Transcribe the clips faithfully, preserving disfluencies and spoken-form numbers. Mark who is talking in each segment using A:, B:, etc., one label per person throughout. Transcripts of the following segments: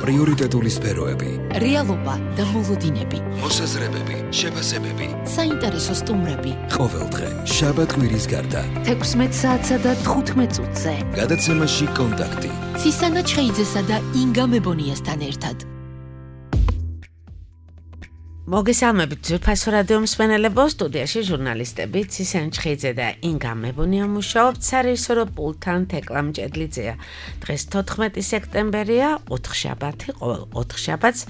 A: პრიორიტეტული სფეროები,
B: რეალობა და მოლოდინები,
A: მოსაზრებები, შეფასებები,
B: საინტერესო სტუმრები.
A: ყოველდღე შაბათ-კვირის გარდა
B: თექვსმეტ საათსა და თხუთმეტ წუთზე
A: გადაცემაში კონტაქტი
B: ცისანა ჩხეიძესა და ინგა მებონიასთან ერთად.
C: მოგესალმებით ძვირფასო რადიო მსმენელებო, სტუდიაში ჟურნალისტები ცისანა ჩხეიძე და ინგა მებონია მუშაობთ, სარეჟისორო პულტთან თეკლა მჭედლიძეა. დღეს თოთხმეტი სექტემბერია, ოთხშაბათი, ყოველ ოთხშაბათს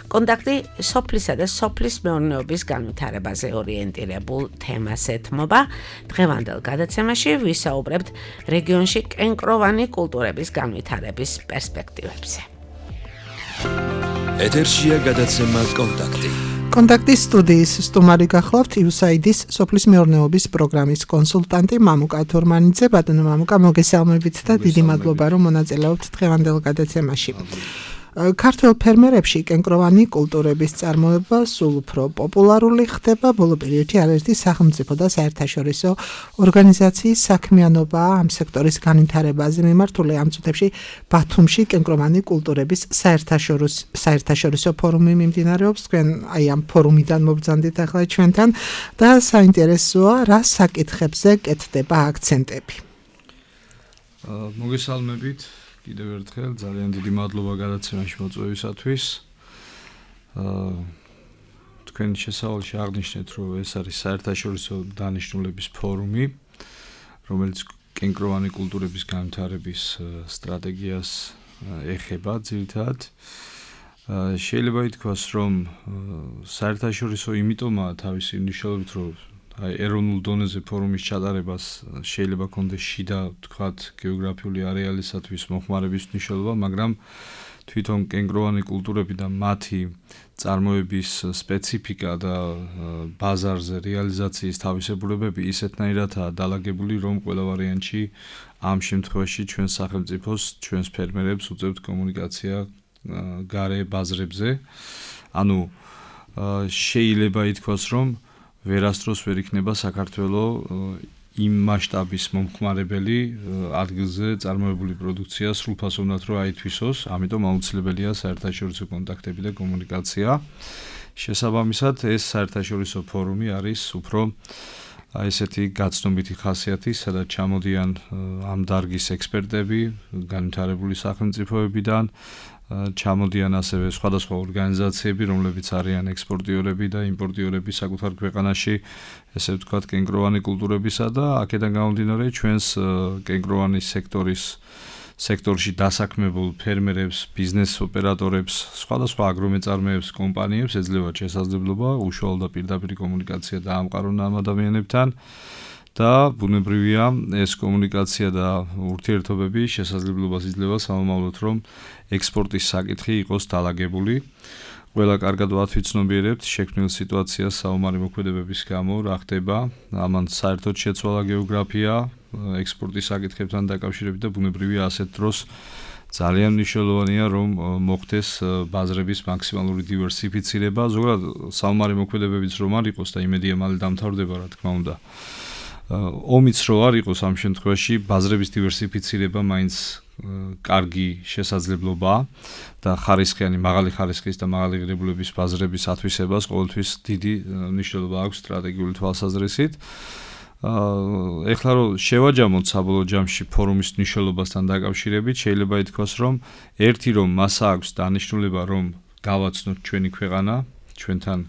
C: კონტაქტი სოფლისა და სოფლის მეურნეობის განვითარებაზე ორიენტირებულ თემას ეთმობა. დღევანდელ გადაცემაში ვისაუბრებთ რეგიონში კენკროვანი კულტურების განვითარების პერსპექტივებზე.
A: ეთერშია გადაცემა კონტაქტი.
D: კონტაქტის სტუდიის სტუმარი გახლავთ იუსაიდის სოფლის მეურნეობის პროგრამის კონსულტანტი მამუკა თორმანიძე. ბატონო მამუკა, მოგესალმებით და დიდი მადლობა რომ მონაწილეობთ დღევანდელ გადაცემაში. ქართველ ფერმერებში კენკროვანი კულტურების წარმოება სულ უფრო პოპულარული ხდება. ბოლო პერიოდში არაერთი სახელმწიფო და საერთაშორისო ორგანიზაციის საქმიანობა ამ სექტორის განვითარებაზე მიმართული. ამ წუთებში ბათუმში კენკროვანი კულტურების საერთაშორისო საერთაშორისო ფორუმი მიმდინარეობს. თქვენ აი ამ ფორუმიდან მობრძანდით ახლა ჩვენთან და საინტერესოა რა საკითხებზე კეთდება აქცენტები.
E: მოგესალმებით. კიდევ ერთხელ ძალიან დიდი მადლობა გადაცემაში მოწვევისათვის. აა თქვენ შესავალში აღნიშნეთ, რომ ეს არის საერთაშორისო დანიშნულების ფორუმი, რომელიც კენკროვანი კულტურების განვითარების სტრატეგიას ეხება ძირითადად. შეიძლება ითქვას, რომ საერთაშორისო იმიტომაა თავისი მნიშვნელობით, რომ აი ეროვნულ დონეზე ფორუმის ჩატარებას შეიძლება კონდეს შიდა, თქვათ, გეოგრაფიული არეალისათვის მოხმარების მნიშვნელობა, მაგრამ თვითონ კენკროვანი კულტურები და მათი წარმოების სპეციფიკა და ბაზარზე რეალიზაციის თავისებურებები ისეთნაირადაა დალაგებული, რომ ყველა ვარიანტში ამ შემთხვევაში ჩვენს სახელმწიფოს, ჩვენს ფერმერებს უწევთ კომუნიკაცია გარე ბაზრებზე. ანუ შეიძლება ითქვას, რომ ვერასდროს ვერ იქნება საქართველოს იმ მასშტაბის მომხმარებელი ადგილზე წარმოებული პროდუქცია სრულფასოვნად რო აითვისოს, ამიტომ აუცილებელია საერთაშორისო კონტაქტები და კომუნიკაცია. შესაბამისად, ეს საერთაშორისო ფორუმი არის უფრო აი ესეთი გაცნობიტი ხასიათის, სადაც ჩამოდიან ამ დარგის ექსპერტები, განვითარებული სახელმწიფოებიდან, ჩამოდიან ასევე სხვადასხვა ორგანიზაციები, რომლებიც არიან ექსპორტიორები და იმპორტიორები საკუთარ ქვეყანაში, ესე ვთქვათ, კენკროვანი კულტურებისა და აქედან გამომდინარე ჩვენს კენკროვანის სექტორის სექტორში დასაქმებულ ფერმერებს, ბიზნეს ოპერატორებს, სხვადასხვა აგრომეწარმეებს, კომპანიებს ეძლევათ შესაძლებლობა უშუალო და პირდაპირ კომუნიკაცია დაამყარონ ამ ადამიანებთან. და ბუნებრივია ეს კომუნიკაცია და ურთიერთობები შესაძლებლობას იძლევა სამომავლოდ, რომ ექსპორტის საკითხი იყოს დალაგებული. ყველა კარგად ვათვიცნობიერებთ შექმნილ სიტუაციას საომარი მოქმედებების გამო, რა ხდება, ამან საერთოდ შეცვალა გეოგრაფია ექსპორტის საკითხებთან დაკავშირებით და ბუნებრივია ასეთ დროს ძალიან მნიშვნელოვანია, რომ მოხდეს ბაზრების მაქსიმალური დივერსიფიცირება. ზოგადად საომარი მოქმედებებიც რომ არ იყოს და იმედია მალე დამთავრდება, რა თქმა უნდა. ომიც რო არ იყოს ამ შემთხვევაში ბაზრების დივერსიფიცირება მაინც კარგი შესაძლებლობაა და ხარისხიანი, მაღალი ხარისხის და მაღალი ღირებულების ბაზრების ათვისებას ყოველთვის დიდი მნიშვნელობა აქვს სტრატეგიული თვალსაზრისით. ეხლა რო შევაჯამოთ საბოლოო ჯამში ფორუმის მნიშვნელობასთან დაკავშირებით, შეიძლება ითქვას, რომ ერთი რომ მასა აქვს დანიშნულება, რომ გავაცნოთ ჩვენი ქვეყანა, ჩვენთან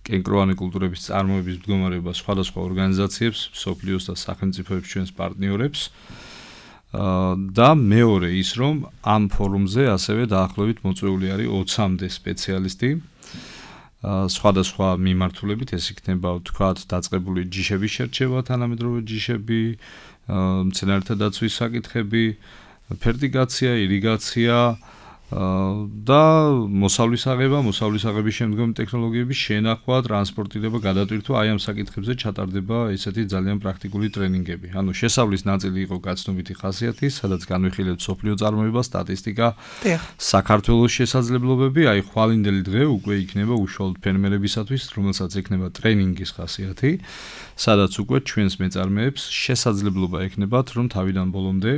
E: კენკროვანი კულტურების წარმოების მდგომარეობა სხვადასხვა ორგანიზაციებს, მსოფლიოს და სახელმწიფოებს ჩვენს პარტნიორებს. და მეორე ის, რომ ამ ფორუმზე ასევე დაახლოებით მოწვეული არის ოცამდე სპეციალისტი. სხვადასხვა მიმართულებით, ეს იქნება, ვთქვათ, დაწყებული ჯიშების შერჩევა, თანამედროვე ჯიშები, მცენარეთა დაცვის საკითხები, ფერტიგაცია, ირიგაცია, და მოსავლის აღება, მოსავლის აღების შემდგომი ტექნოლოგიების შენახვა, ტრანსპორტირება, გადატვირთვა, აი ამ საკითხებზე ჩატარდება ესეთი ძალიან პრაქტიკული ტრენინგები. ანუ შესავლის ნაწილი იყო გაცნობიტი ხასიათის, სადაც განვიხილეთ სოფლიო წარმოება, სტატისტიკა, საქართველოს შესაძლებლობები, აი ხვალინდელი დღე უკვე იქნება უშუალოდ ფერმერებისათვის, რომელსაც ექნება ტრენინგის ხასიათი, სადაც უკვე ჩვენს მეწარმეებს შესაძლებლობა ექნებათ, რომ თავიდან ბოლომდე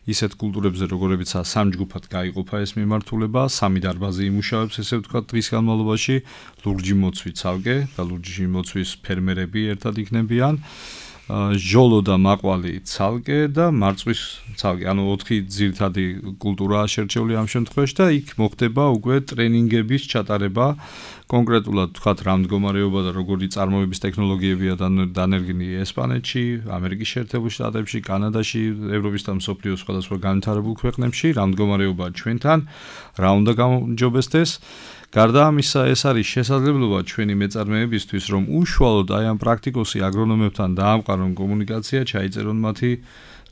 E: ისეთ კულტურებზე, როგორებიცაა სამ ჯგუფად გაიყოფა ეს მიმართულება, სამი დარბაზი იმუშავებს, ესე ვთქვათ, დღის განმავლობაში, ლურჯი მოცვი ცალკე და ლურჯი მოცვის ფერმერები ერთად იქნებიან. ჟოლო და მაყვალი ცალკე და მარწვის ცალკე, ანუ ოთხი ძირითადი კულტურაა შერჩეული ამ შემთხვევაში და იქ მოხდება უკვე ტრენინგების ჩატარება, კონკრეტულად თქვათ რა მდგომარეობა და როგორი წარმოების ტექნოლოგიებია დანერგილი ესპანეთში, ამერიკის შეერთებულ შტატებში, კანადაში, ევროპის და მსოფლიოს სხვადასხვა განვითარებულ ქვეყნებში, რა მდგომარეობაა ჩვენთან, რა უნდა გამომჯობესდეს. გარდა ამისა, ეს არის შესაძლებლობა ჩვენი მეწარმეებისთვის, რომ უშუალოდ აი ამ პრაქტიკოსი აგრონომებთან დაამყარონ კომუნიკაცია, ჩაიწერონ მათი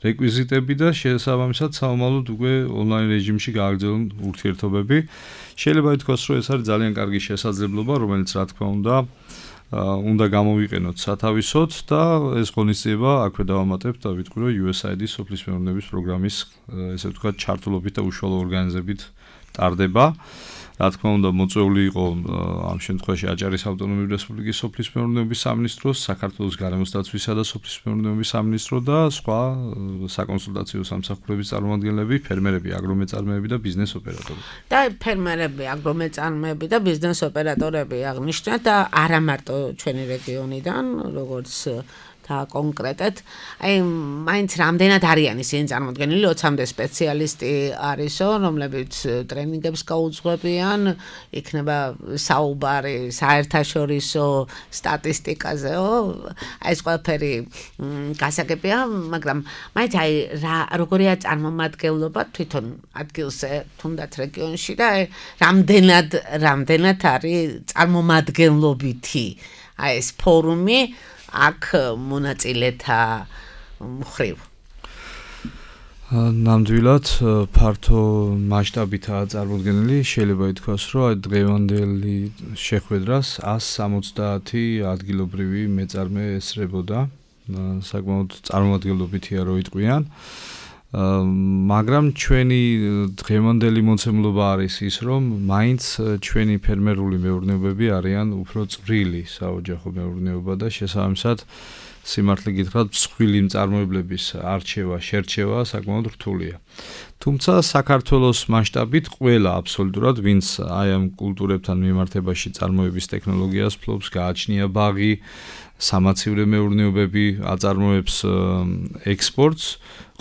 E: რეკვიზიტები და შესაბამისად საომალოდ უკვე ონლაინ რეჟიმში გააგრძელონ ურთიერთობები. შეიძლება ითქვას, რომ ეს არის ძალიან კარგი შესაძლებლობა, რომელიც რა თქმა უნდა, უნდა გამოვიყენოთ სათავისოდ და ეს ღონისძიება აქვე დავამატებთ და ვიტყვი, რომ იუ ეს აი დი სოფლის მეურნეობის პროგრამის, ესე ვთქვათ, ჩართულობით და უშუალო ორგანიზებით ტარდება. რა თქმა უნდა, მოწვეული იყო ამ შემთხვევაში აჭარის ავტონომიური რესპუბლიკის სოფლის მეურნეობის სამინისტროს, საქართველოს გარემოს დაცვისა და სოფლის მეურნეობის სამინისტრო და სხვა საკონსულტაციო სამსახურების წარმომადგენლები, ფერმერები, აგრომეწარმეები და ბიზნეს ოპერატორები.
C: და ფერმერები, აგრომეწარმეები და ბიზნეს ოპერატორები აღნიშნეთ და არა მარტო ჩვენი რეგიონიდან, როგორც და კონკრეტად, აი მაინც რამდენად არიან ისინი წარმოდგენილი, ოცამდე სპეციალისტი არისო, რომლებიც ტრენინგებს გაუძღვებიან, იქნება საუბარი საერთაშორისო სტატისტიკაზეო, აი ეს ყველაფერი გასაგებია, მაგრამ მაინც აი რა როგორია წარმომადგენლობა თვითონ ადგილზე, თუნდაც რეგიონში და აი რამდენად რამდენად არის წარმომადგენლობითი აი ეს ფორუმი აქ მონაწილეთა მხრივ.
E: ნამდვილად ფართო მასშტაბითაა წარმოდგენილი, შეიძლება ითქვას, რომ აი დღევანდელი შეხვედრას ას სამოცდაათი ადგილობრივი მეწარმე ესწრებოდა, საკმაოდ წარმომადგენლობითია რო იტყვიან. მაგრამ ჩვენი დღევანდელი მოცემულობა არის ის, რომ მაინც ჩვენი ფერმერული მეურნეობები არიან უფრო წვრილი საოჯახო მეურნეობა და შესაბამისად სიმართლე გითხრათ, მსხვილი მწარმოებლების არჩევა, შერჩევა საკმაოდ რთულია. თუმცა საქართველოს მასშტაბით ყველა აბსოლუტურად, ვინც აი ამ კულტურებთან მიმართებაში წარმოების ტექნოლოგიას ფლობს, გააჩნია ბაღი, სამაცივრე მეურნეობები აწარმოებს ექსპორტს,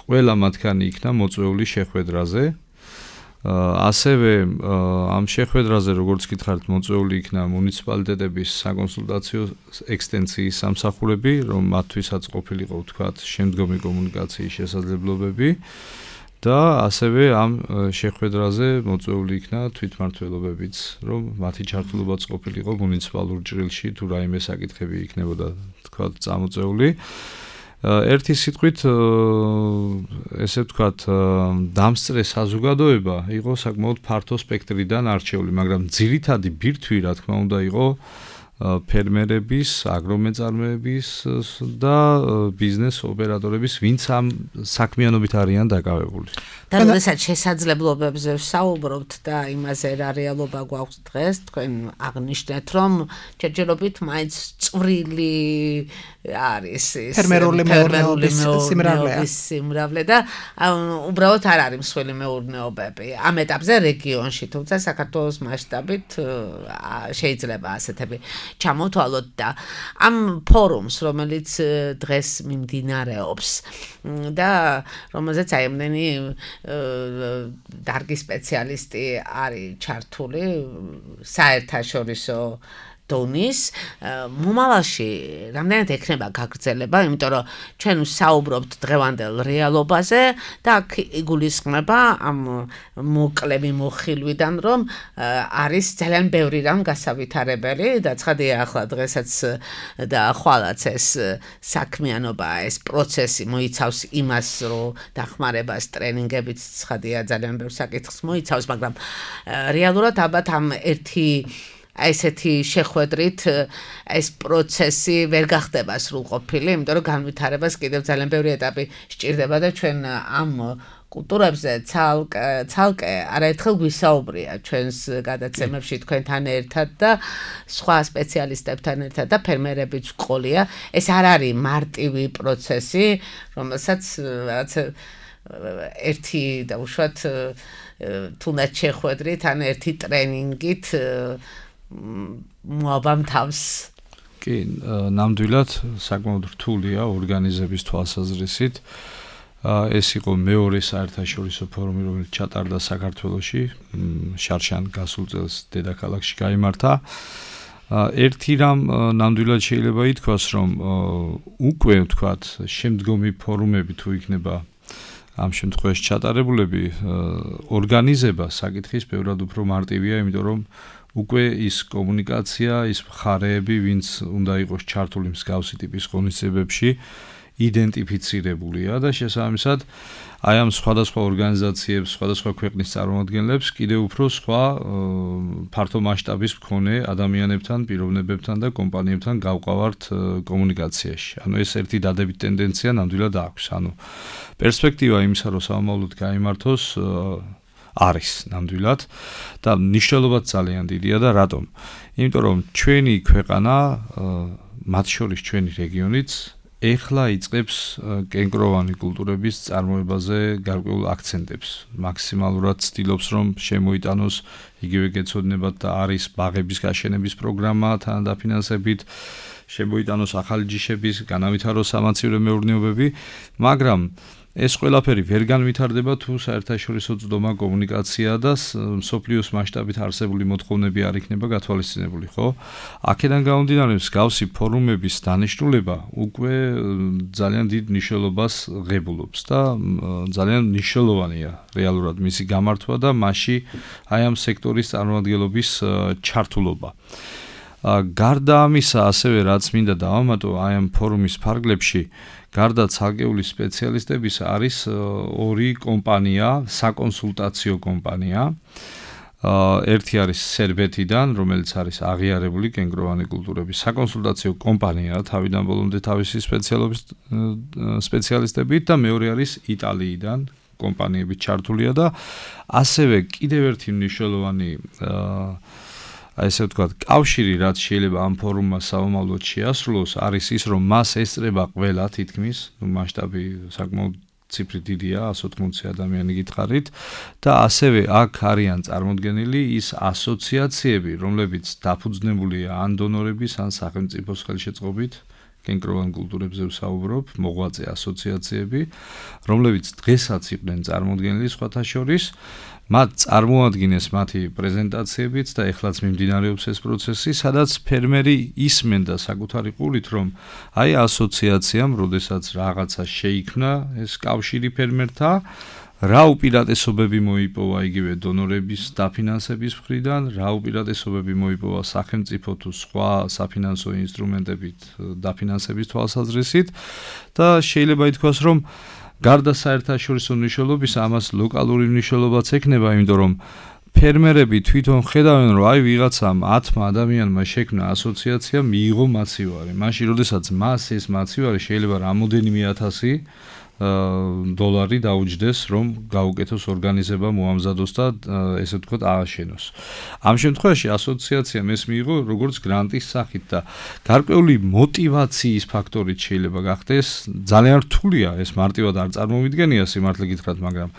E: ყველა მათგანი იქნა მოწვეული შეხვედრაზე. ასევე ამ შეხვედრაზე, როგორც გითხარით, მოწვეული იქნა მუნიციპალიტეტების საკონსულტაციო ექსტენციის სამსახურები, რომ მათთვისაც ყოფილიყო, ვთქვათ, შემდგომი კომუნიკაციის შესაძლებლობები და ასევე ამ შეხვედრაზე მოწვეული იქნა თვითმმართველობებიც, რომ მათი ჩართულობაც ყოფილიყო მუნიციპალურ ჭრილში, თუ რაიმე საკითხები იქნებოდა, ვთქვათ, წამოწეული. ერთი სიტყვით, ესე ვთქვათ, დამსწრე საზოგადოება იყო საკმაოდ ფართო სპექტრიდან არჩეული, მაგრამ ძირითადი ბირთვი, რა თქმა უნდა, იყო ფერმერების, აგრომეწარმეების და ბიზნეს ოპერატორების, ვინც ამ საქმიანობით არიან დაკავებული.
C: და როდესაც შესაძლებლობებზე ვსაუბრობთ და იმაზე რა რეალობა გვაქვს დღეს, თქვენ აღნიშნეთ, რომ ჯერჯერობით მაინც წვრილი არის ის
D: ფერმერული მეურნეობის
C: სიმრავლე და უბრალოდ არ არის მსხვილი მეურნეობები ამ ეტაპზე რეგიონში, თუმცა საქართველოს მასშტაბით შეიძლება ასეთები ჩამოთვალოთ და ამ ფორუმს, რომელიც დღეს მიმდინარეობს და რომელზეც აი ამდენი დარგი სპეციალისტი არის ჩართული საერთაშორისო დონის მომავალში რამდენად ექნება გაგრძელება, იმიტომ რომ ჩვენ ვსაუბრობთ დღევანდელ რეალობაზე და აქ იგულისხმება ამ მოკლები მოხილვიდან, რომ არის ძალიან ბევრი რამ გასავითარებელი და ცხადია ახლა დღესაც და ხვალაც ეს საქმიანობა, ეს პროცესი მოიცავს იმას, რომ დახმარებას ტრენინგებით ცხადია ძალიან ბევრ საკითხს მოიცავს, მაგრამ რეალურად ალბათ ამ ერთი ესეთი შეხვედრით ეს პროცესი ვერ გახდება სრულყოფილი, იმიტომ რომ განვითარებას კიდევ ძალიან ბევრი ეტაპი სჭირდება და ჩვენ ამ კულტურებზე ცალკე ცალკე არაერთხელ გვისაუბრია ჩვენს გადაცემებში თქვენთან ერთად და სხვა სპეციალისტებთან ერთად და ფერმერებიც ყოლია. ეს არ არის მარტივი პროცესი, რომელსაც რაღაც ერთი და უშუალოდ თუნდაც შეხვედრით ან ერთი ტრენინგით მოაბამ თავს.
E: კი, ნამდვილად საკმაოდ რთულია ორგანიზების თვალსაზრისით. ეს იყო მეორე საერთაშორისო ფორუმი, რომელიც ჩატარდა საქართველოში, შარშან გასულ წელს დედაქალაქში გაიმართა. ერთი რამ ნამდვილად შეიძლება ითქვას, რომ უკვე ვთქვათ, შემდგომი ფორუმები თუ იქნება ამ შემთხვევაში ჩატარებულები, ორგანიზება საკითხის ბევრად უფრო მარტივია, იმიტომ რომ უკვე ის კომუნიკაცია, ის მხარეები, ვინც უნდა იყოს ჩართული მსგავსი ტიპის ღონისძიებებში, იდენტიფიცირებულია და შესაბამისად აი ამ სხვადასხვა ორგანიზაციებს, სხვადასხვა ქვეყნის წარმომადგენლებს კიდევ უფრო სხვა ფართო მასშტაბის მქონე ადამიანებთან, პიროვნებებთან და კომპანიებთან გავყავართ კომუნიკაციაში. ანუ ეს ერთი დადებით ტენდენცია ნამდვილად აქვს. ანუ პერსპექტივა იმისა, რომ სამომავლოდ გაიმართოს არის ნამდვილად და მნიშვნელობაც ძალიან დიდია და რატომ? იმიტომ რომ ჩვენი ქვეყანა, მათ შორის ჩვენი რეგიონიც ეხლა იწყებს კენკროვანი კულტურების წარმოებაზე გარკვეულ აქცენტებს. მაქსიმალურად ცდილობს, რომ შემოიტანოს იგივე გეცოდინებათ და არის ბაღების გაშენების პროგრამა თან დაფინანსებით, შემოიტანოს ახალი ჯიშების, განავითაროს სამაცივრო მეურნეობები, მაგრამ ეს ყველაფერი ვერ განვითარდება თუ საერთაშორისო წვდომა კომუნიკაცია და მსოფლიოს მასშტაბით არსებული მოთხოვნები არ იქნება გათვალისწინებული, ხო? აქედან გამომდინარე, მსგავსი ფორუმების დანიშნულება უკვე ძალიან დიდ მნიშვნელობას ღებულობს და ძალიან მნიშვნელოვანია რეალურად მისი გამართვა და მასში აი ამ სექტორის წარმომადგენლობის ჩართულობა. გარდა ამისა, ასევე რაც მინდა დავამატო აი ამ ფორუმის ფარგლებში, გარდა ცალკეული სპეციალისტების არის ორი კომპანია, საკონსულტაციო კომპანია. ერთი არის სერბეთიდან, რომელიც არის აღიარებული კენკროვანი კულტურების საკონსულტაციო კომპანია, თავიდან ბოლომდე თავისი სპეციალობის სპეციალისტებით და მეორე არის იტალიიდან კომპანიები ჩართულია და ასევე კიდევ ერთი მნიშვნელოვანი აი ესე ვთქვათ, კავშირი, რაც შეიძლება ამ ფორუმმა სამომავლოდ შეასრულოს, არის ის, რომ მას ესწრება ყველა თითქმის, ნუ მასშტაბი საკმაოდ ციფრი დიდია, ას ოთხმოცი ადამიანი გითხარით და ასევე აქ არიან წარმოდგენილი ის ასოციაციები, რომლებიც დაფუძნებულია ან დონორების, ან სახელმწიფოს ხელშეწყობით, კენკროვან კულტურებზე ვსაუბრობ, მოღვაწე ასოციაციები, რომლებიც დღესაც იყვნენ წარმოდგენილი სხვათა შორის, მათ წარმოადგენს მათი პრეზენტაციებიც და ეხლაც მიმდინარეობს ეს პროცესი, სადაც ფერმერი ისმენ და საკუთარი ყურით, რომ აი ასოციაციამ, როდესაც რაღაცა შეიქმნა ეს კავშირი ფერმერთა, რა უპირატესობები მოიპოვა იგივე დონორების დაფინანსების მხრიდან, რა უპირატესობები მოიპოვა სახელმწიფო თუ სხვა საფინანსო ინსტრუმენტებით დაფინანსების თვალსაზრისით და შეიძლება ითქვას, რომ გარდა საერთაშორისო მნიშვნელობის, ამას ლოკალური მნიშვნელობაც ექნება, იმიტომ რომ ფერმერები თვითონ ხედავენ, რომ აი ვიღაცამ ათმა ადამიანმა შექმნა ასოციაცია, მიიღო მაცივარი. მაშინ, როდესაც მას ეს მაცივარი შეიძლება რამოდენიმე ათასი დოლარი დაუჯდეს, რომ გაუკეთოს ორგანიზება მოამზადოს და ესე ვთქვათ ააშენოს. ამ შემთხვევაში ასოციაციამ ეს მიიღო როგორც გრანტის სახით და გარკვეული мотиваციის ფაქტორით შეიძლება გახდეს. ძალიან რთულია ეს მარტივად არ წარმოვიდგენია სიმართლე გითხრათ, მაგრამ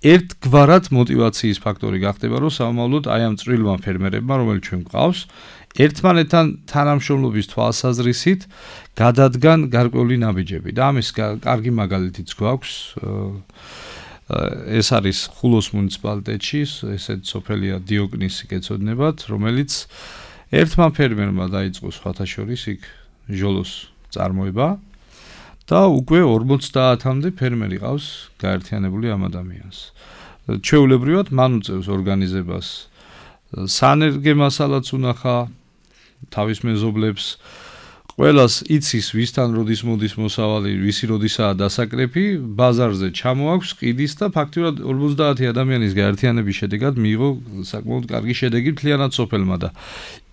E: ერთგვარად мотиваციის ფაქტორი გახდება, რომ სამომავლოდ აი ამ წვრილმა ფერმერებმა, რომელიც ჩვენ გვყავს, ერთმანეთთან თანამშრომლობის თვალსაზრისით გადადგან გარკვეული ნაბიჯები და ამის კარგი მაგალითიც გვაქვს. ეს არის ხულოს მუნიციპალიტეტში, ესეთ სოფელია დიოკნისი გეცოდინებათ, რომელიც ერთმა ფერმერმა დაიწყო სხვათა შორის იქ ჟოლოს წარმოება და უკვე ორმოცდაათამდე ფერმერი ყავს გაერთიანებული ამ ადამიანს. ჩვეულებრივად მან უწევს ორგანიზებას სანერგე მასალაც უნახა თავის მეზობლებს, ყველას იცის ვისთან როდის მოდის მოსავალი, ვისი როდისაა დასაკრეფი, ბაზარზე ჩამოაქვს ყიდის და ფაქტურად ორმოცდაათი ადამიანის გაერთიანების შედეგად მიიღო საკმაოდ კარგი შედეგი მთლიანად სოფელმა და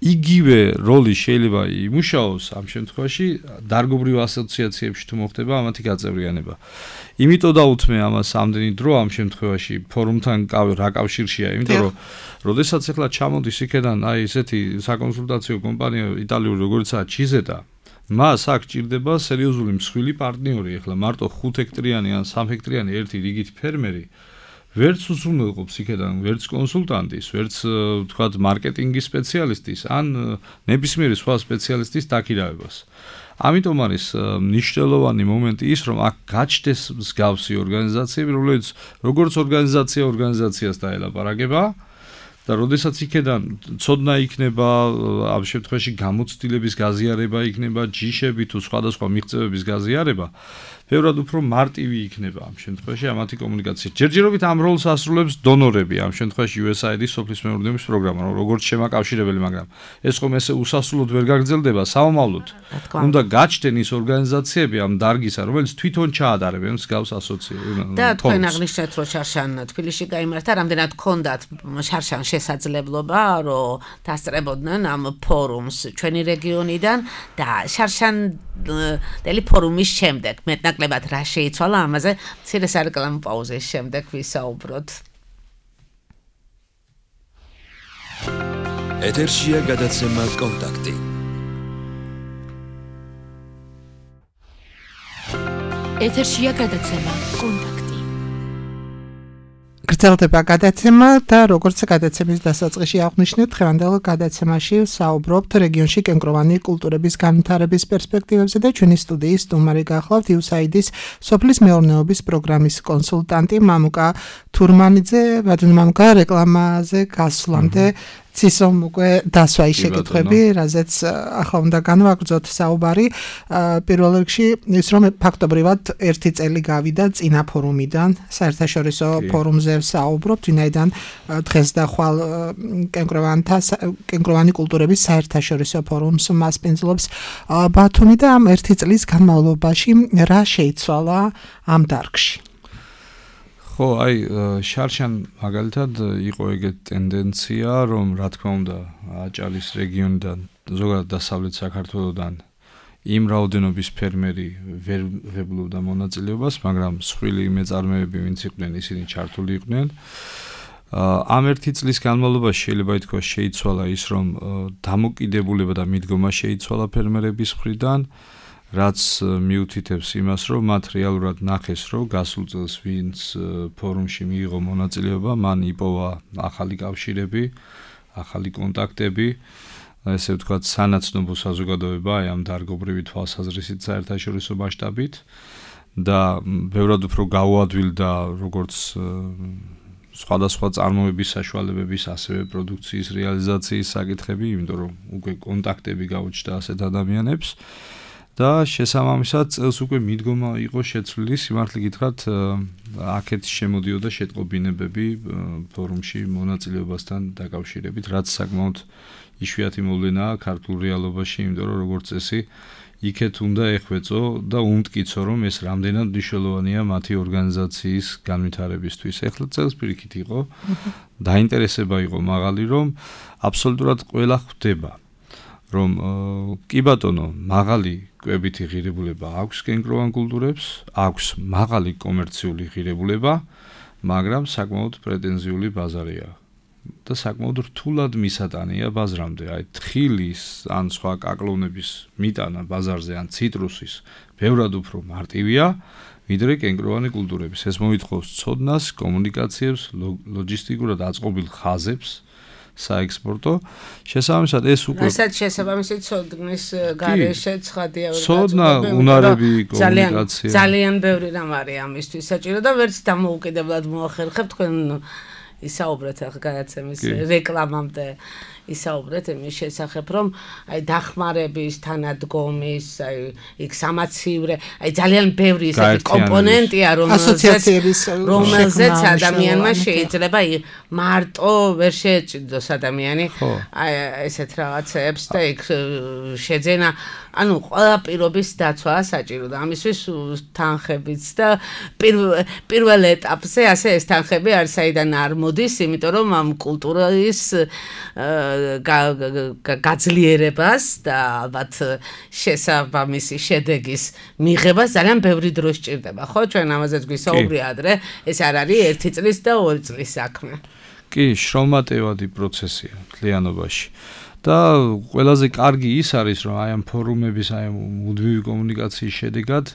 E: იგივე როლი შეიძლება იმუშაოს ამ შემთხვევაში დარგობრივ ასოციაციებში თუ მოხდება ამათი გაწევრიანება. იმიტომ დაუთმე ამას ამდენი დრო ამ შემთხვევაში ფორუმთან რა კავშირშია, იმიტომ რომ როდესაც ახლა ჩამოდის იქედან აი ესეთი საკონსულტაციო კომპანია იტალიური როგორიცაა ჩიზეტა, მას აქ ჭირდება სერიოზული მსხვილი პარტნიორი, ეხლა მარტო ხუთ ჰექტრიანი ან სამ ჰექტრიანი ერთი რიგით ფერმერი ვერც უზრუნველყოფს იქიდან ვერც კონსულტანტის, ვერც თქვათ მარკეტინგის სპეციალისტის ან ნებისმიერი სხვა სპეციალისტის დაქირავებას. ამიტომ არის მნიშვნელოვანი მომენტი ის, რომ აქ გაჩნდეს მსგავსი ორგანიზაციები, რომლებიც როგორც ორგანიზაცია ორგანიზაციას დაელაპარაკება და როდესაც იქიდან ცოდნა იქნება, ამ შემთხვევაში გამოცდილების გაზიარება იქნება, ჯიშები თუ სხვადასხვა მიღწევების გაზიარება, ბევრად უფრო მარტივი იქნება ამ შემთხვევაში ამათი კომუნიკაცია. ჯერჯერობით ამ როლს ასრულებს დონორები, ამ შემთხვევაში იუ ეს აი აი-დის სოფლის მეურნეობის პროგრამა, როგორც შემაკავშირებელი, მაგრამ ეს ხომ ესე უსასრულოდ ვერ გაგრძელდება სამომავლოდ. უნდა გაჩნდნენ ის ორგანიზაციები ამ დარგისა, რომელიც თვითონ ჩაატარებენ მსგავს ასოციაციებს.
C: და თქვენ აღნიშნეთ, რომ შარშან თბილისში გაიმართა, რამდენად ჰქონდათ შარშან შესაძლებლობა, რომ დასწრებოდნენ ამ ფორუმს ჩვენი რეგიონიდან და შარშან დელი ფორუმის შემდეგ მეტნაკლებად რა შეიცვალა ამაზე მცირე სარეკლამო პაუზის შემდეგ ვისაუბროთ.
A: ეთერშია გადაცემა კონტაქტი.
B: ეთერშია გადაცემა კონტაქტი.
D: გრძელდება გადაცემა და როგორც გადაცემის დასაწყისში აღვნიშნეთ, დღევანდელ გადაცემაში საუბრობთ რეგიონში კენკროვანი კულტურების განვითარების პერსპექტივებზე და ჩვენი სტუდიის სტუმარი გახლავთ იუ ეს აი აი-დის სოფლის მეურნეობის პროგრამის კონსულტანტი მამუკა თურმანიძე. ბატონო მამუკა, რეკლამაზე გასვლამდე ცისომ უკვე დასვა ის შეკითხვები, რაზეც ახლა უნდა განვაგრძოთ საუბარი. პირველ რიგში ის, რომ ფაქტობრივად ერთი წელი გავიდა წინა ფორუმიდან, საერთაშორისო ფორუმზე საუბრობთ, ვინაიდან დღეს და ხვალ კენკროვანთა კენკროვანი კულტურების საერთაშორისო ფორუმს მასპინძლობს ბათუმი და ამ ერთი წლის განმავლობაში რა შეიცვალა ამ დარგში?
E: ხო, აი, შარშან მაგალითად იყო ეგეთი ტენდენცია, რომ რა თქმა უნდა, აჭარის რეგიონიდან, ზოგადად დასავლეთ საქართველოსთან იმ რაოდენობის ფერმერი ვერ ვებლობდა მონაწილეობას, მაგრამ მსხვილი მეწარმეები, ვინც იყვნენ, ისინი ჩართული იყვნენ. ამ ერთი წლის განმავლობაში შეიძლება ითქვას შეიცვალა ის, რომ დამოკიდებულება და მიდგომა შეიცვალა ფერმერების მხრიდან, რაც მიუთითებს იმას, რომ მათ რეალურად ნახეს, რომ გასულ წელს ვინც ფორუმში მიიღო მონაწილეობა, მან იპოვა ახალი კავშირები, ახალი კონტაქტები, ესე ვთქვათ, სანაცნობო საზოგადოება აი ამ დარგობრივი თვალსაზრისით საერთაშორისო მასშტაბით და ბევრად უფრო გაუადვილდა როგორც სხვადასხვა წარმოების საშუალებების, ასევე პროდუქციის რეალიზაციის საკითხები, იმიტომ რომ უკვე კონტაქტები გაუჩნდა ასეთ ადამიანებს. და შესაბამისად წელს უკვე მიდგომა იყო შეცვლილი, სიმართლე გითხრათ, აქეთ შემოდიოდა შეტყობინებები ფორუმში მონაწილეობასთან დაკავშირებით, რაც საკმაოდ იშვიათი მოვლენაა ქართულ რეალობაში, იმიტომ რომ როგორც წესი, იქეთ უნდა ეხვეწო და უმტკიცო, რომ ეს რამდენად მნიშვნელოვანია მათი ორგანიზაციის განვითარებისთვის. ეხლა წელს პირიქით იყო, დაინტერესება იყო მაღალი, რომ აბსოლუტურად ყველა ხვდება, რომ კი ბატონო, მაღალი კვებითი ღირებულება აქვს კენკროვან კულტურებს, აქვს მაღალი კომერციული ღირებულება, მაგრამ საკმაოდ პრეტენზიული ბაზარია და საკმაოდ რთულად მისატანია ბაზრამდე. აი, თხილის ან სხვა კაკლონების მიტანა ბაზარზე ან ციტრუსის ბევრად უფრო მარტივია, ვიდრე კენკროვანი კულტურების. ეს მოითხოვს ცოდნას, კომუნიკაციებს, ლოჯისტიკურად აწყობილ ხაზებს, საექსპორტო. შესაბამისად ეს უკვე
C: რასაც შესაბამისად ცოდნის გარეშე ცხადია ვერ
E: ცოდნა, უნარები, კომუნიკაცია.
C: ძალიან ბევრი რამ არის ამისთვის საჭირო და ვერც დამოუკიდებლად მოახერხებ თქვენ ისაუბრეთ ახლა გადაცემის რეკლამამდე ისაუბრეთ იმის შესახებ, რომ აი დახმარების, თანადგომის, აი იქ სამაცივრე, აი ძალიან ბევრი ისეთი კომპონენტია,
D: ასოციაციების
C: რომელზეც ადამიანმა შეიძლება მარტო ვერ შეეჭიდოს ადამიანი აი ესეთ რაღაცებს და იქ შეძენა, ანუ ყველა პირობის დაცვა საჭირო და ამისთვის თანხებიც და პირველ ეტაპზე ასე ეს თანხები არის საიდან არ მოდის, იმიტომ რომ ამ კულტურის გაძლიერებას და ალბათ შესაბამისი შედეგის მიღებას ძალიან ბევრი დრო სჭირდება, ხო? ჩვენ ამაზეც გვისაუბრია ადრე, ეს არ არის ერთი წლის და ორი წლის საქმე.
E: კი, შრომატევადი პროცესია მთლიანობაში. და ყველაზე კარგი ის არის, რომ აი ამ ფორუმების, აი ამ მუდმივი კომუნიკაციის შედეგად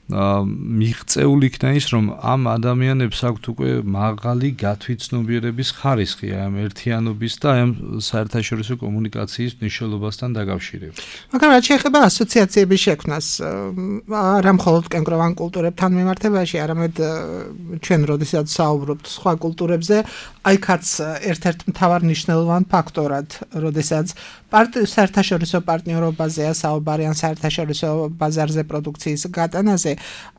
E: მიღწეული იქნა ის, რომ ამ ადამიანებს აქვთ უკვე მაღალი გათვითცნობიერების ხარისხი ამ ერთიანობის და ამ საერთაშორისო კომუნიკაციის მნიშვნელობასთან დაკავშირებით.
D: მაგრამ რაც შეეხება ასოციაციების შექმნას, არა მხოლოდ კენკროვან კულტურებთან მიმართებაში, არამედ ჩვენ როდესაც საუბრობთ სხვა კულტურებზე, აიქაც ერთ-ერთ მთავარ მნიშვნელოვან ფაქტორად, როდესაც საერთაშორისო პარტნიორობაზეა საუბარი ან საერთაშორისო ბაზარზე პროდუქციის გატანაზე,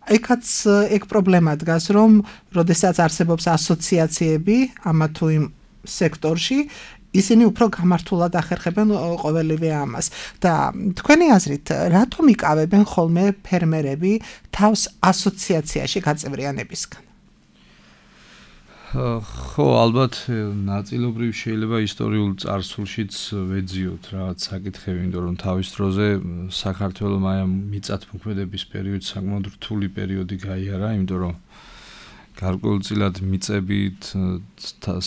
D: აიქაც ეგ პრობლემა დგას, რომ როდესაც არსებობს ასოციაციები ამა თუ იმ სექტორში, ისინი უფრო გამართულად ახერხებენ ყოველივე ამას და თქვენი აზრით, რატომ იკავებენ ხოლმე ფერმერები თავს ასოციაციაში გაწევრიანებისგან?
E: ხო, ალბათ ნაწილობრივ შეიძლება ისტორიულ წარსულშიც ვეძიოთ რაღაც საკითხები, იმიტომ რომ თავის დროზე საქართველოს აი ამ მიწათმოქმედების პერიოდი საკმაოდ რთული პერიოდი გაიარა, იმიტომ რომ გარკვეულწილად მიწებით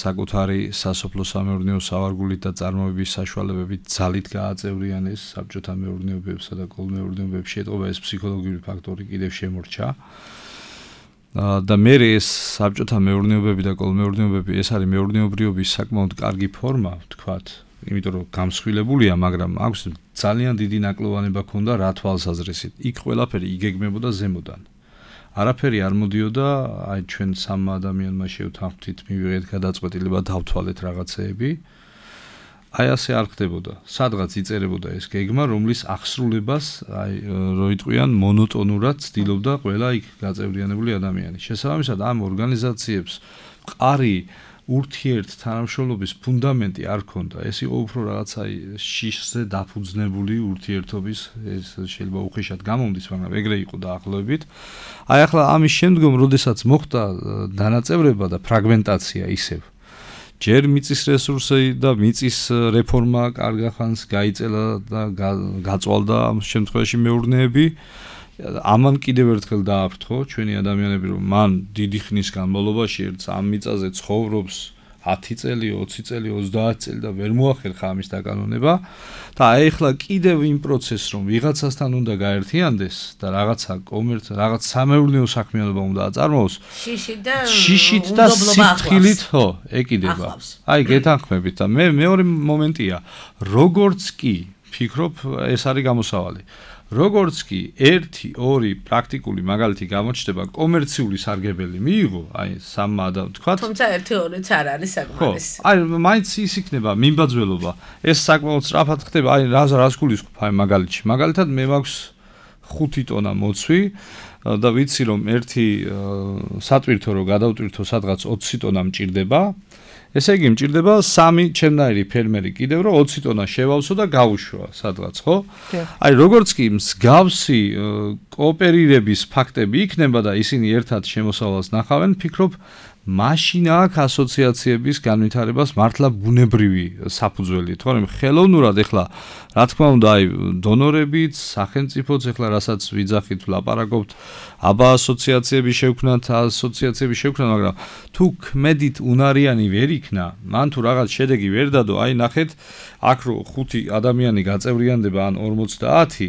E: საკუთარი სასოფლო-სამეურნეო სავარგულით და წარმოების საშუალებებით ძალით გააწევრიანეს საბჭოთა მეურნეობებსა და კოლმეურნეობებში, ეტყობა ეს ფსიქოლოგიური ფაქტორი კიდევ შემორჩა. და მე ეს საბჭოთა მეურნეობები და კოლმეურნეობები ეს არის მეურნეობრიობის საკმაოდ კარგი ფორმა, ვთქვათ, იმიტომ რომ გამსხვილებულია, მაგრამ აქვს ძალიან დიდი ნაკლოვანება ქონდა რა თვალსაზრისით. იქ ყველაფერი იგეგმებოდა ზემოდან. არაფერი არ მოდიოდა, აი ჩვენ სამ ადამიანმა შევთანხმდით, მივიღეთ გადაწყვეტილება დავთვალეთ რაღაცეები. აი ასე არ ხდებოდა. სადღაც იწერებოდა ეს გეგმა, რომლის აღსრულებას, აი რო იტყვიან მონოტონურად ცდილობდა ყველა იქ გაწევრიანებული ადამიანი. შესაბამისად, ამ ორგანიზაციებს მყარი ურთიერთ თანამშრომლობის ფუნდამენტი არ ქონდა. ეს იყო უფრო რაღაც აი შიშზე დაფუძნებული ურთიერთობის, ეს შეიძლება უხეშად გამომდის, მაგრამ ეგრე იყო დაახლოებით. აი ახლა ამის შემდგომ, როდესაც მოხდა დანაწევრება და ფრაგმენტაცია ისევ ჯერ მიწის რესურსი და მიწის რეფორმა კარგახანს გაიწელა და გაწვალდა ამ შემთხვევაში მეურნეები. ამან კიდევ ერთხელ დააფრთხო ჩვენი ადამიანები, რომ მან დიდი ხნის განმავლობაში ერთს ამ მიწაზე ცხოვრობს ათი წელი, ოცი წელი, ოცდაათი წელი და ვერ მოახერხა ამის დაკანონება და აი ახლა კიდევ იმ პროცესს რომ ვიღაცასთან უნდა გაერთიანდეს და რაღაცა კომერც, რაღაც სამეურნეო საქმიანობა უნდა აწარმოოს.
C: შიშით და
E: შიშით და სიფრთხილით, ხო, ეკიდება. აი გეთანხმებით და მე მეორე მომენტია, როგორც კი ფიქრობ, ეს არის გამოსავალი. როგორც კი ერთი, ორი პრაქტიკული მაგალითი გამოჩნდება, კომერციული სარგებელი მიიღო, აი სამმა და თქვათ.
C: თუმცა ერთი, ორიც არ არის საკმარისი.
E: აი მაინც ის იქნება მიმბაძველობა. ეს საკმაოდ სწრაფად ხდება, აი რას რას გულისხმობ აი მაგალითში. მაგალითად მე მაქვს ხუთი ტონა მოცვი და ვიცი რომ ერთი სატვირთო რო გადავტვირთო სადღაც ოცი ტონა მჭირდება. ესე იგი მჭირდება სამი ჩემნაირი ფერმერი კიდევ რომ ოცი ტონა შევავსო და გავუშვა სადღაც, ხო? აი როგორც კი მსგავსი კოოპერირების ფაქტები იქნება და ისინი ერთად შემოსავალს ნახავენ, ფიქრობ მაშინ აქ ასოციაციების განვითარებას მართლა ბუნებრივი საფუძველი, თორემ ხელოვნურად ეხლა რა თქმა უნდა აი დონორებით, სახელმწიფოც ეხლა რასაც ვიძახით, ვლაპარაკობთ, აბა ასოციაციების შექმნათ, ასოციაციების შექმნათ, მაგრამ თუ ქმედით უნარიანი ვერ იქნა, მან თუ რაღაც შედეგი ვერ დადო, აი ნახეთ, აქ რო ხუთი ადამიანი გაწევრიანდება ან ორმოცდაათი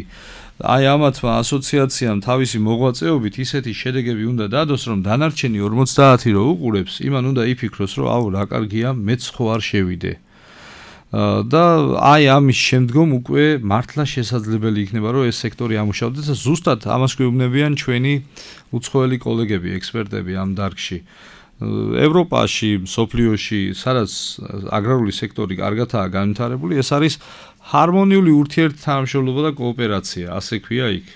E: აი ამათმა ასოციაციამ თავისი მოღვაწეობით ისეთი შედეგები უნდა დადოს, რომ დანარჩენი ორმოცდაათი რო უყურებს, იმან უნდა იფიქროს, რომ აუ რა კარგია, მეც ხო არ შევიდე. და აი ამის შემდგომ უკვე მართლა შესაძლებელი იქნება, რომ ეს სექტორი ამუშავდეს და ზუსტად ამას გვეუბნებიან ჩვენი უცხოელი კოლეგები, ექსპერტები ამ დარგში. ევროპაში, მსოფლიოში, სადაც აგრარული სექტორი კარგადაა განვითარებული, ეს არის ჰარმონიული ურთიერთთანამშრომლობა და კოოპერაცია, ასე ქვია იქ.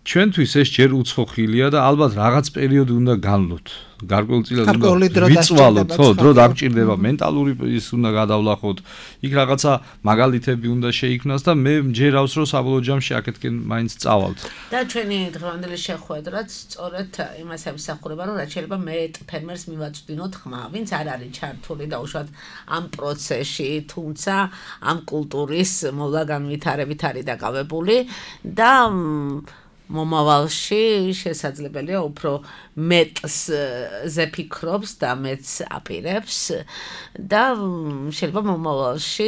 E: ჩვენთვის ეს ჯერ უცხოხილია და ალბათ რაღაც პერიოდი უნდა განვლოთ. გარკვეულწილად უნდა ვიწვალოთ, ხო, დრო დაგჭირდება, მენტალური ის უნდა გადავლახოთ. იქ რაღაცა მაგალითები უნდა შეიქმნას და მე მჯერავს რომ საბოლოო ჯამში აქეთკენ მაინც წავალთ.
C: და ჩვენი დღევანდელი შეხვედრაც სწორედ იმას ემსახურება, რომ რაც შეიძლება მე ფერმერს მივაწვდინოთ ხმა, ვინც არ არის ჩართული და უშუალოდ ამ პროცესში, თუმცა ამ კულტურის მოვლა განვითარებით არის დაკავებული და მომავალში შესაძლებელია უფრო მეტს ზეფიქრობს და მეტს აპირებს და შეიძლება მომავალში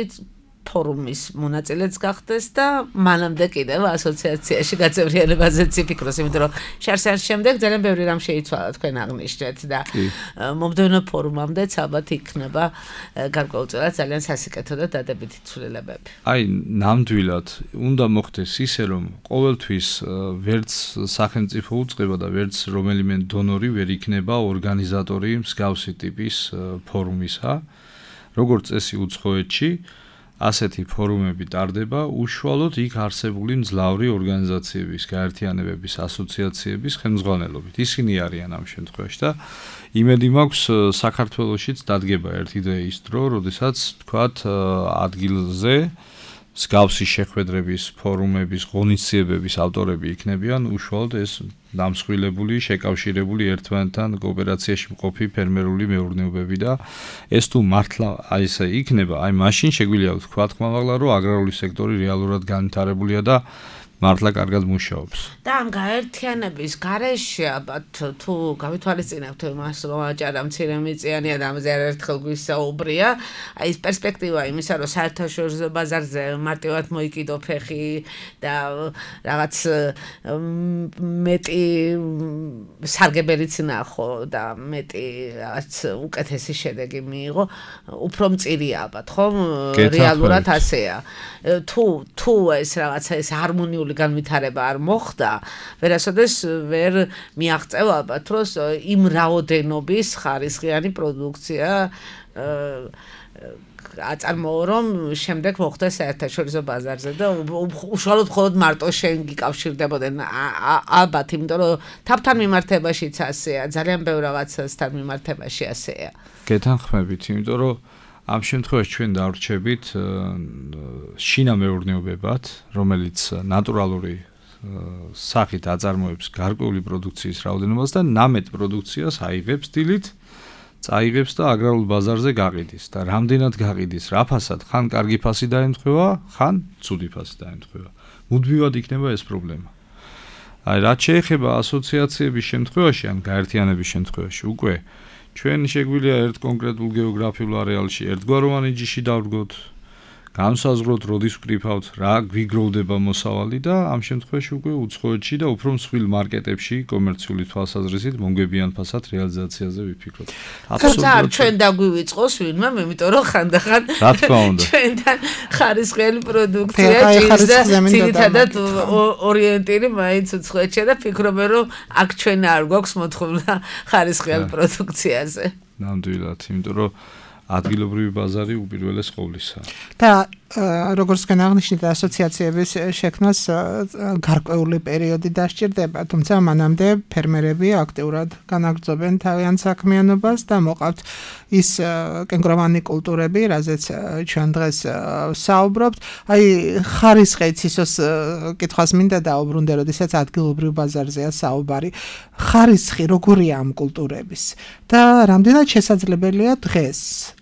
C: ფორუმის მონაწილეც გახდეს და მანამდე კიდევ ასოციაციაში გაწევრიანებაზეც იფიქროს, იმიტომ რომ შარშან შემდეგ ძალიან ბევრი რამ შეიცვალა თქვენ აღნიშნეთ და მომდევნო ფორუმამდეც ალბათ იქნება გარკვეულწილად ძალიან სასიკეთო და დადებითი ცვლილებები.
E: აი, ნამდვილად უნდა მოხდეს ისე, რომ ყოველთვის ვერც სახელმწიფო უწყება და ვერც რომელიმე დონორი ვერ იქნება ორგანიზატორი მსგავსი ტიპის ფორუმისა. როგორც წესი უცხოეთში ასეთი ფორუმები ტარდება უშუალოდ იქ არსებული მძლავრი ორგანიზაციების, გაერთიანებების, ასოციაციების ხელმძღვანელობით. ისინი არიან ამ შემთხვევაში და იმედი მაქვს საქართველოშიც დადგება ერთი დღე ის დრო, როდესაც თქვათ ადგილზე მსგავსი შეხვედრების, ფორუმების, ღონისძიებების ავტორები იქნებიან უშუალოდ ეს დამსხვილებული, შეკავშირებული ერთმანეთთან კოოპერაციაში მყოფი ფერმერული მეურნეობები და ეს თუ მართლა აი ესე იქნება, აი მაშინ შეგვიძლია ვთქვათ ხმამაღლა, რომ აგრარული სექტორი რეალურად განვითარებულია და მართლა კარგად მუშაობს.
C: და ამ გაერთიანების გარეშე ალბათ თუ გავითვალისწინებთ იმას, რომ აჭარა მცირემიწიანი და ამაზე არაერთხელ გვისაუბრია, აი ეს პერსპექტივა იმისა, რომ საერთაშორისო ბაზარზე მარტივად მოიკიდო ფეხი და რაღაც მეტი სარგებელიც ნახო და მეტი რაღაც უკეთესი შედეგი მიიღო, უფრო მწირია ალბათ, ხომ? რეალურად ასეა. თუ თუ ეს რაღაცა ეს ჰარმონიული განვითარება არ მოხდა, ვერასოდეს ვერ მიაღწევ ალბათ, რომ იმ რაოდენობის ხარისხიანი პროდუქცია აწარმოო, რომ შემდეგ მოხდეს საერთაშორისო ბაზარზე და უშუალოდ მხოლოდ მარტო შენ გიკავშირდებოდნენ ალბათ, იმიტომ რომ თავთან მიმართებაშიც ასეა, ძალიან ბევრ რაღაცასთან მიმართებაში ასეა.
E: გეთანხმებით, იმიტომ რომ ამ შემთხვევაში ჩვენ დავრჩებით შინამეურნეობებად, რომელიც ნატურალური სახით აწარმოებს გარკვეული პროდუქციის რაოდენობას და ნამეტ პროდუქციას აიღებს დილით, წაიღებს და აგრარულ ბაზარზე გაყიდის და რამდენად გაყიდის, რა ფასად, ხან კარგი ფასი დაემთხვევა, ხან ცუდი ფასი დაემთხვევა. მუდმივად იქნება ეს პრობლემა. აი, რაც შეეხება ასოციაციების შემთხვევაში, ან გაერთიანების შემთხვევაში, უკვე ჩვენ შეგვიძლია ერთ კონკრეტულ გეოგრაფიულ არეალში ერთგვაროვანი ჯიში დავდგოთ, განსაზღვროთ, როდის ვკრიფავთ, რა გვიგროვდება მოსავალი და ამ შემთხვევაში უკვე უცხოეთში და უფრო მსხვილ მარკეტებში კომერციული თვალსაზრისით მომგებიან ფასად რეალიზაციაზე ვიფიქროთ.
C: თუმცა ჩვენ დაგვივიწყოს ვინმე, იმიტომ რომ ხანდახან
E: რა თქმა უნდა
C: ჩვენთან ხარისხიანი პროდუქცია ჭირს და ძირითადად ორიენტირი მაინც უცხოეთში და ფიქრობენ, რომ აქ ჩვენ არ გვაქვს მოთხოვნა ხარისხიან პროდუქციაზე.
E: ნამდვილად, იმიტომ რომ ადგილობრივი ბაზარი უპირველეს ყოვლისა.
D: და როგორც თქვენ აღნიშნეთ, ასოციაციების შექმნას გარკვეული პერიოდი დასჭირდება, თუმცა მანამდე ფერმერები აქტიურად განაგრძობენ თავიანთ საქმიანობას და მოყავთ ის კენკროვანი კულტურები, რაზეც ჩვენ დღეს საუბრობთ. აი, ხარისხიც ისოს კითხვას მინდა დაუბრუნდე, როდესაც ადგილობრივ ბაზარზეა საუბარი. ხარისხი როგორია ამ კულტურების და რამდენად შესაძლებელია დღეს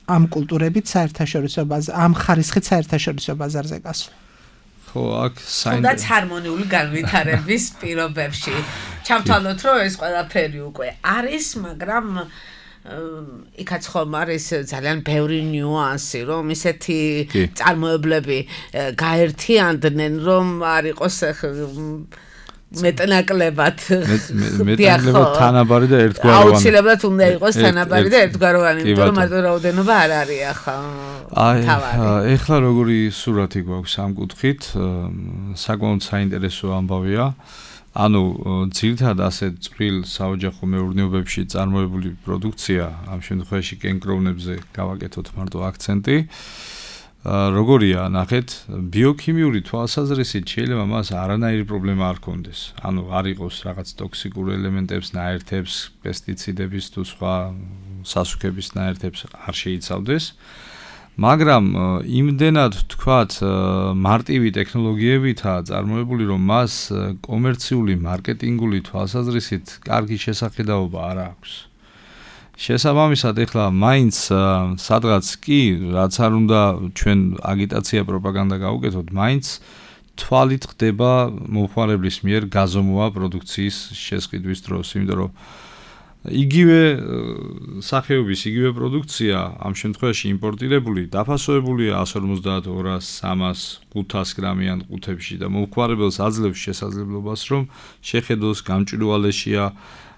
D: ამ კულტურებით საერთაშორისო ბაზარ, ამ ხარისხით საერთაშორისო ბაზარზე გასვლა.
E: ხო, აქ
C: საინტერესო ჰარმონიული განვითარების პირობებში. ჩავთვალოთ, რომ ეს ყველაფერი უკვე არის, მაგრამ იქაც ხომ არის ძალიან ბევრი ნიუანსი, რომ ისეთი წარმოებლები გაერთიანდნენ, რომ არ იყოს მეტნაკლებად
E: მეტნაკლებად თანაბარი და ერთგვაროვანი.
C: აუცილებლად უნდა იყოს თანაბარი და ერთგვაროვანი, იმიტომ რომ მარტო რაოდენობა არ არის ახლა.
E: აი, ეხლა როგორი სურათი გვაქვს ამ კუთხით, საკმაოდ საინტერესო ამბავია. ანუ ძირითადად ასე წვრილ საოჯახო მეურნეობებში წარმოებული პროდუქცია, ამ შემთხვევაში კენკროვნებზე გავაკეთოთ მარტო აქცენტი. როგორია, ნახეთ, ბიოქიმიური თვალსაზრისით შეიძლება მას არანაირი პრობლემა არ ქონდეს. ანუ არ იყოს რაღაც ტოქსიკურ ელემენტებს, ნაერთებს, პესტიციდების თუ სხვა სასუქების ნაერთებს არ შეიცავდეს. მაგრამ იმდენად თქვათ მარტივი ტექნოლოგიებითაა წარმოებული, რომ მას კომერციული მარკეტინგული თვალსაზრისით კარგი შესახედაობა არ აქვს. შესაბამისად, ეხლა მაინც სადღაც კი, რაც არ უნდა ჩვენ აგიტაცია, პროპაგანდა გავუკეთოთ, მაინც თვალით ხდება მომხმარებლის მიერ გაზომვა პროდუქციის შესყიდვის დროს, იმიტომ რომ იგივე სახეობის, იგივე პროდუქცია ამ შემთხვევაში იმპორტირებული დაფასოებულია εκατს ორმოცდაათ, ორას, სამას, ხუთას გრამიან ყუთებში და მომხმარებელს აძლევს შესაძლებლობას, რომ შეხედოს გამჭვირვალეშია,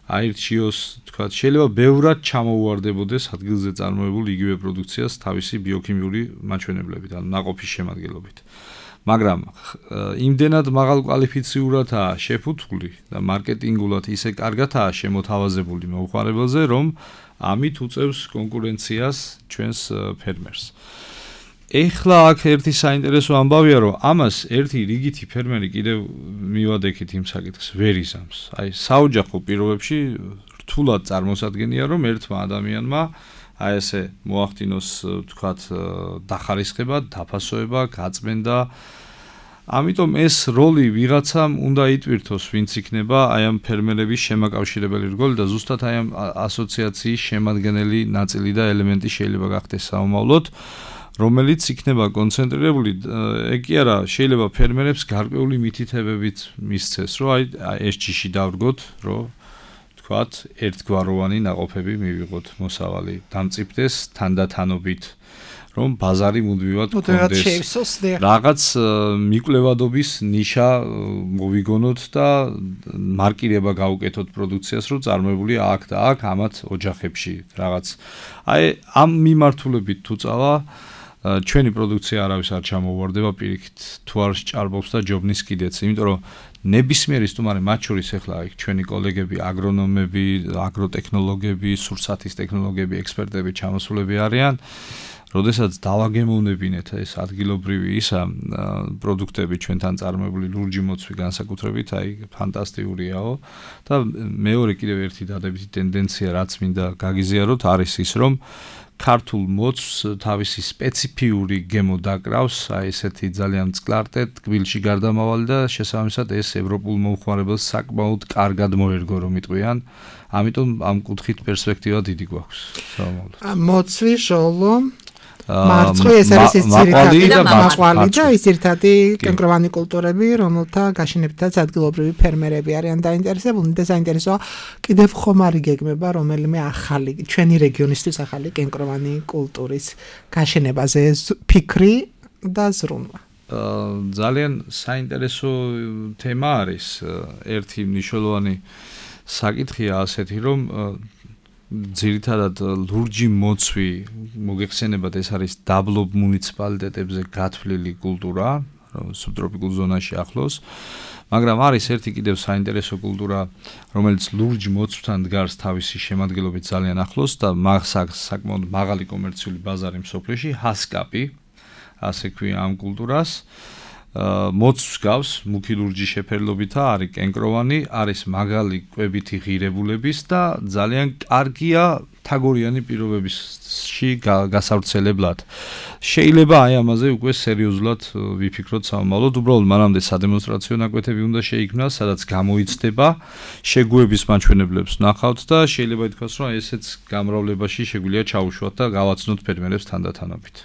E: აირჩიოს, თქვა, შეიძლება ბევრად ჩამოუვარდებოდეს ადგილზე წარმოებულ იგივე პროდუქციას თავისი ბიოქიმიური მაჩვენებლებით, ანუ ნაყოფის შემადგენლობით. მაგრამ იმდენად მაღალკვალიფიციურადაა შეფუთული და მარკეტინგულად ისე კარგადაა შემოთავაზებული მომხმარებელზე, რომ ამით უწევს კონკურენციას ჩვენს ფერმერს. ეხლა აქ ერთი საინტერესო ამბავია, რომ ამას ერთი რიგითი ფერმერი კიდევ მივადექით იმ საკითხს ვერ იზამს. აი, საოჯახო პირობებში რთულად წარმოსადგენია, რომ ერთმა ადამიანმა აი ესე მოახდინოს, თქვათ, დახარისხება, დაფასოება, გაწმენდა. ამიტომ ეს როლი ვიღაცამ უნდა იტვირთოს, ვინც იქნება აი ამ ფერმერების შემაკავშირებელი რგოლი და ზუსტად აი ამ ასოციაციის შემადგენელი ნაწილი და ელემენტი შეიძლება გახდეს საომავლოდ, რომელიც იქნება კონცენტრირებული, ეგ კი არა, შეიძლება ფერმერებს გარკვეული მითითებებით მისცეს, რომ აი ეს ჯიში დავრგოთ, რომ თქვათ, ერთგვაროვანი ნაყოფები მივიღოთ მოსავალი, დამწიფდეს თანდათანობით, რომ ბაზარი მუდმივად გქონდეს. რაღაც მიკვლევადობის ნიშა მოვიგონოთ და მარკირება გავუკეთოთ პროდუქციას, რომ წარმოებულია აქ და აქ ამათ ოჯახებში რაღაც. აი ამ მიმართულებით თუ წავა ჩვენი პროდუქცია არავის არ ჩამოუვარდება პირიქით, თუ არ ჭარბობს და ჯობნის კიდეც, იმიტომ რომ ნებისმიერი სტუმარი, მათ შორის ახლა იქ ჩვენი კოლეგები, აგრონომები, აგროტექნოლოგები, სურსათის ტექნოლოგიები, ექსპერტები ჩამოსულები არიან. როდესაც დავაგემოვნებინეთ ეს ადგილობრივი ისა პროდუქტები ჩვენთან წარმოებული ლურჯი მოცვი განსაკუთრებით, აი ფანტასტიკურიაო და მეორე კიდევ ერთი დადებითი ტენდენცია, რაც მინდა გაგიზიაროთ, არის ის, რომ ქართულ მოცვს თავისი სპეციფიური გემო დაკრავს, აი ესეთი ძალიან მწყლარტე, ტკბილში გარდამავალი და შესაბამისად ეს ევროპულ მომხმარებელს საკმაოდ კარგად მოერგო, რომ იტყვიან. ამიტომ ამ კუთხით პერსპექტივა დიდი გვაქვს. საომავლოდ.
D: მოცვი, ჟოლო მარცხვი ეს არის ის ძირითადი და მაყვალი და ის ძირითადი კენკროვანი კულტურები, რომელთა გაშენებითაც ადგილობრივი ფერმერები არიან დაინტერესებული და საინტერესოა კიდევ ხომ არ იგეგმება რომელიმე ახალი ჩვენი რეგიონისთვის ახალი კენკროვანი კულტურის გაშენებაზე ფიქრი და ზრუნვა.
E: ძალიან საინტერესო თემა არის. ერთი მნიშვნელოვანი საკითხია ასეთი, რომ ძირითადად ლურჯი მოცვი მოგეხსენებათ, ეს არის დაბლობ მუნიციპალიტეტებზე გათვლილი კულტურა, სუბტროპიკულ ზონაში ახლოს, მაგრამ არის ერთი კიდევ საინტერესო კულტურა, რომელიც ლურჯ მოცვთან დგას თავისი შემადგენლობით ძალიან ახლოს და საკმაოდ მაღალი კომერციული ბაზარი მსოფლიოში, ჰასკაპი, ასე ქვია ამ კულტურას. მოცვს გავს მუქი ლურჯი შეფერილობითა, არის კენკროვანი, არის მაგალი კვებითი ღირებულების და ძალიან კარგია თაგორიანი პირობებში გასავრცელებლად. შეიძლება აი ამაზე უკვე სერიოზულად ვიფიქროთ საომავლოდ, უბრალოდ მანამდე სადემონსტრაციო ნაკვეთები უნდა შეიქმნას, სადაც გამოიცდება, შეგუების მაჩვენებლებს ნახავთ და შეიძლება ითქვას, რომ ესეც გამრავლებაში შეგვიძლია ჩაუშვათ და გავაცნოთ ფერმერებს თანდათანობით.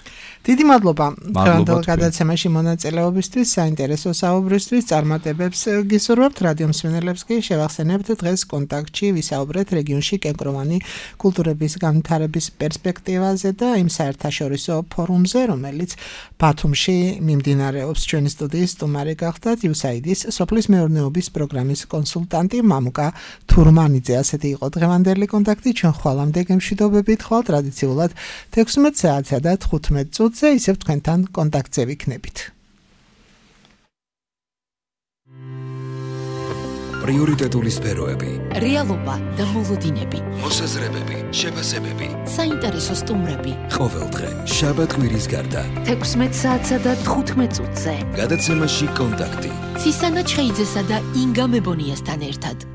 D: დიდი მადლობა დღევანდელ გადაცემაში მონაწილეობისთვის, საინტერესო საუბრისთვის, წარმატებებს გისურვებთ. რადიო მსმენელებს კი შევახსენებთ დღეს კონტაქტში ვისაუბრეთ რეგიონში კენკროვანი კულტურების განვითარების პერსპექტივაზე და იმ საერთაშორისო ფორუმზე, რომელიც ბათუმში მიმდინარეობს. ჩვენი სტუდიის სტუმარი გახდათ იუ ეს აი დი-ის სოფლის მეურნეობის პროგრამის კონსულტანტი მამუკა თურმანიძე. ასეთი იყო დღევანდელი კონტაქტი. ჩვენ ხვალამდე გემშვიდობებით ხვალ ტრადიციულად თექვსმეტ საათსა და თხუთმეტ წუთს ზე ისევ თქვენთან კონტაქტზე ვიქნებით.
A: პრიორიტეტული სფეროები,
B: რეალობა და მოლოდინები,
A: მოსაზრებები, შეფასებები,
B: საინტერესო სტუმრები.
A: ყოველდღე შაბათ-კვირის გარდა
B: თექვსმეტ საათსა და თხუთმეტ წუთზე
A: გადაცემაში კონტაქტი.
B: ცისანა ჩხეიძესა და ინგა მებონიასთან ერთად.